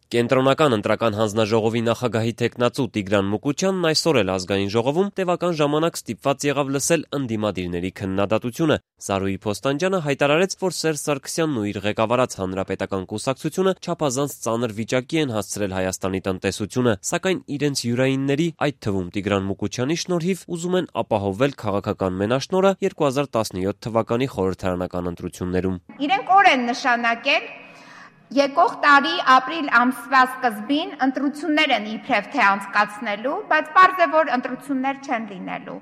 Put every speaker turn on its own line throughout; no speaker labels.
Կենտրոնական ընտրական հանձնաժողովի նախագահի թեկնածու Տիգրան Մուկուչյանն այսօր էլ ազգային ժողովում տևական ժամանակ ստիպված եղավ լսել ընդդիմադիրների քննադատությունը։ Զարուհի Փոստանջյանը հայտարարեց, որ Սերժ Սարգսյանն ու իր ղեկավարած Հանրապետական կուսակցությունը չափազանց ծանր վիճակի են հասցրել Հայաստանի տնտեսությունը, սակայն իրենց յուրայինների, այդ թվում Տիգրան Մուկուչյանի շնորհիվ ուզում են ապահովել քաղաքական մենաշնորհը 2017 թվականի խորհրդարանական ընտրություններում։
Իրենք օր են նշանակել եկող տարի ապրիլ ամսվա սկզբին ընտրություններ են իբրև թե անցկացնելու, բայց պարզ է, որ ընտրություններ չեն լինելու։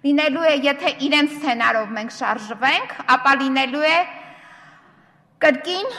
Լինելու է, եթե իրենց սցենարով մենք շարժվենք, ապա լինելու է կրկին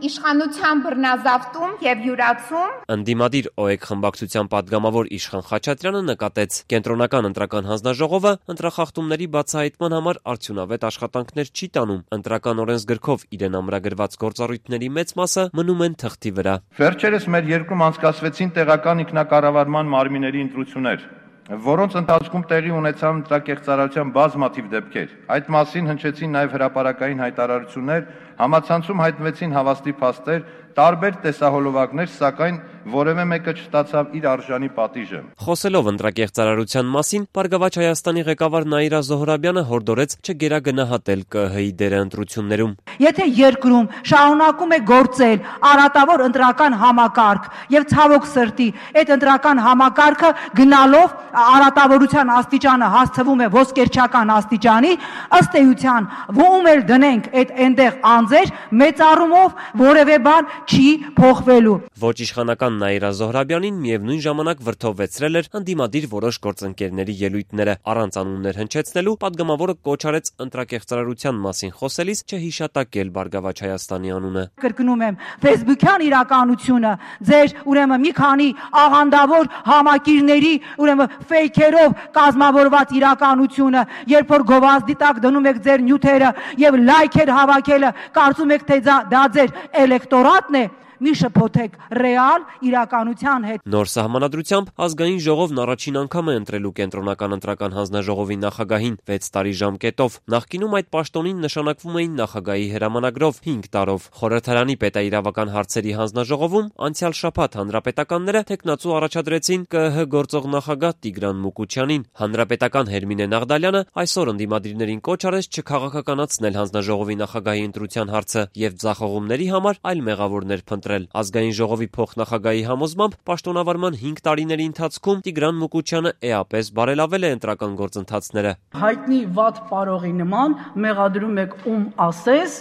իշխանության բռնազավթում եւ յուրացում։
Ընդդիմադիր ՕԵԿ խմբակցության падգամավոր Իշխան Խաչատրյանը նկատեց, կենտրոնական ընտրական հանձնաժողովը ընտրախախտումների բացահայտման համար արդյունավետ աշխատանքներ չի տանում։ Ընտրական օրենսգրքով իրեն ամրագրված գործառույթների մեծ մասը մնում են թղթի վրա։
Վերջերս մեր երկրում անցկացվեցին տեղական ինքնակառավարման մարմինների ընտրություններ, որոնց ընթացքում տեղի ունեցան ընտրակեղծարարության բազմաթիվ դեպքեր։ Այդ մասին հնչեցին նաև հրապարակային հայտարարություններ, համացանցում հայտնվեցին հավաստի փաստեր, տարբեր տեսահոլովակներ, սակայն որևէ մեկը չստացավ իր արժանի պատիժը։
Խոսելով ընտրակեղծարարության մասին, Բարգավաճ Հայաստանի ղեկավար Նաիրա Զոհրաբյանը հորդորեց չգերագնահատել ԿԸՀ-ի դերը ընտրություններում։
Եթե երկրում շարունակում է գործել արատավոր ընտրական համակարգ եւ ցավոք սրտի այդ ընտրական համակարգը գնալով արատավորության աստիճանը հասցվում է ոսկերչական աստիճանի, ըստ էության ում էլ դնենք այդ այնտեղ անձեր մեծ առումով որևէ բան չի փոխվելու։
Ոչ իշխանական Նաիրա Զոհրաբյանին միևնույն ժամանակ վրդովվեցրել էր ընդդիմադիր որոշ գործընկերների ելույթները։ Առանց անուններ հնչեցնելու падգամավորը կոչ արեց ընտրակեղծարարության մասին խոսելիս չհիշատակել Բարգավաճ Հայաստանի անունը։
Կրկնում եմ, Facebook-յան իրականությունը, ձեր ուրեմն մի քանի աղանդավոր համակիրների ուրեմն ֆեյքերով կազմավորված իրականությունը, երբ որ գովազդի տակ դնում եք ձեր նյութերը եւ լայքեր հավաքելը, կարծում եք թե դա ձեր էլեկտորատն է, մի շփոթեք ռեալ իրականության հետ։
Նոր սահմանադրությամբ ազգային ժողովն առաջին անգամ է ընտրելու կենտրոնական ընտրական հանձնաժողովի նախագահին 6 տարի ժամկետով։ Նախկինում այդ պաշտոնին նշանակվում էին նախագահի հրամանագրով 5 տարով։ Խորհրդարանի պետաիրավական հարցերի հանձնաժողովում անցյալ շաբաթ հանրապետականները թեկնածու առաջադրեցին ԿԸՀ գործող նախագահ Տիգրան Մուկուչյանին։ Հանրապետական Հերմինե Նաղդալյանը այսօր ընդդիմադիրներին կոչ արեց չքաղաքականացնել հանձնաժողովի նախագահի ընտրության հարցը եւ ձախողումների համար այլ մեղավորներ փնտրել։ Ազգային ժողովի փոխնախագահի համոզմամբ պաշտոնավարման 5 տարիների ընթացքում Տիգրան Մուկուչյանը էապես բարելավել է ընտրական գործընթացները։
Հայտնի վատ պարողի նման մեղադրում եք ում ասես,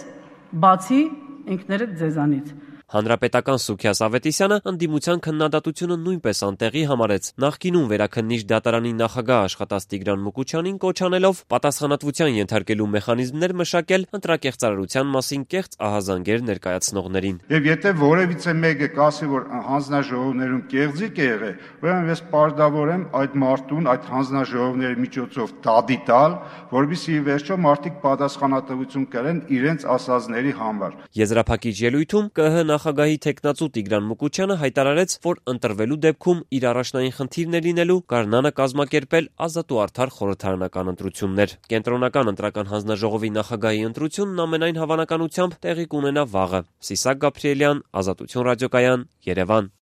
բացի ինքներդ ձեզանից։
Հանրապետական Սուքիաս Ավետիսյանը ընդդիմության քննադատությունը նույնպես անտեղի համարեց։ Նախկինում վերաքննիչ դատարանի նախագահ աշխատած Տիգրան Մուկուչյանին կոչ անելով պատասխանատվության ենթարկելու մեխանիզմներ մշակել ընտրակեղծարարության մասին կեղծ ահազանգեր ներկայացնողներին։
Եվ եթե որևիցե մեկը կասի, որ հանձնաժողովներում կեղծիք է եղել, ուրեմն ես պարտավոր եմ այդ մարդուն այդ հանձնաժողովների միջոցով դատի տալ, որովհետեւ ի վերջո մարդիկ պատասխանատվություն կրեն իրենց ասածների համար։
Եզրափակիչ ելույթում ԿԸՀ նախագահի թեկնածու Տիգրան Մուկուչյանը հայտարարեց, որ ընտրվելու դեպքում իր առաջնային խնդիրն է լինելու գարնանը կազմակերպել ազատ ու արդար խորհրդարանական ընտրություններ։ Կենտրոնական ընտրական հանձնաժողովի նախագահի ընտրությունն ամենայն հավանականությամբ տեղի կունենա վաղը։ Սիսակ Գաբրիելյան, Ազատություն ռադիոկայան, Երևան։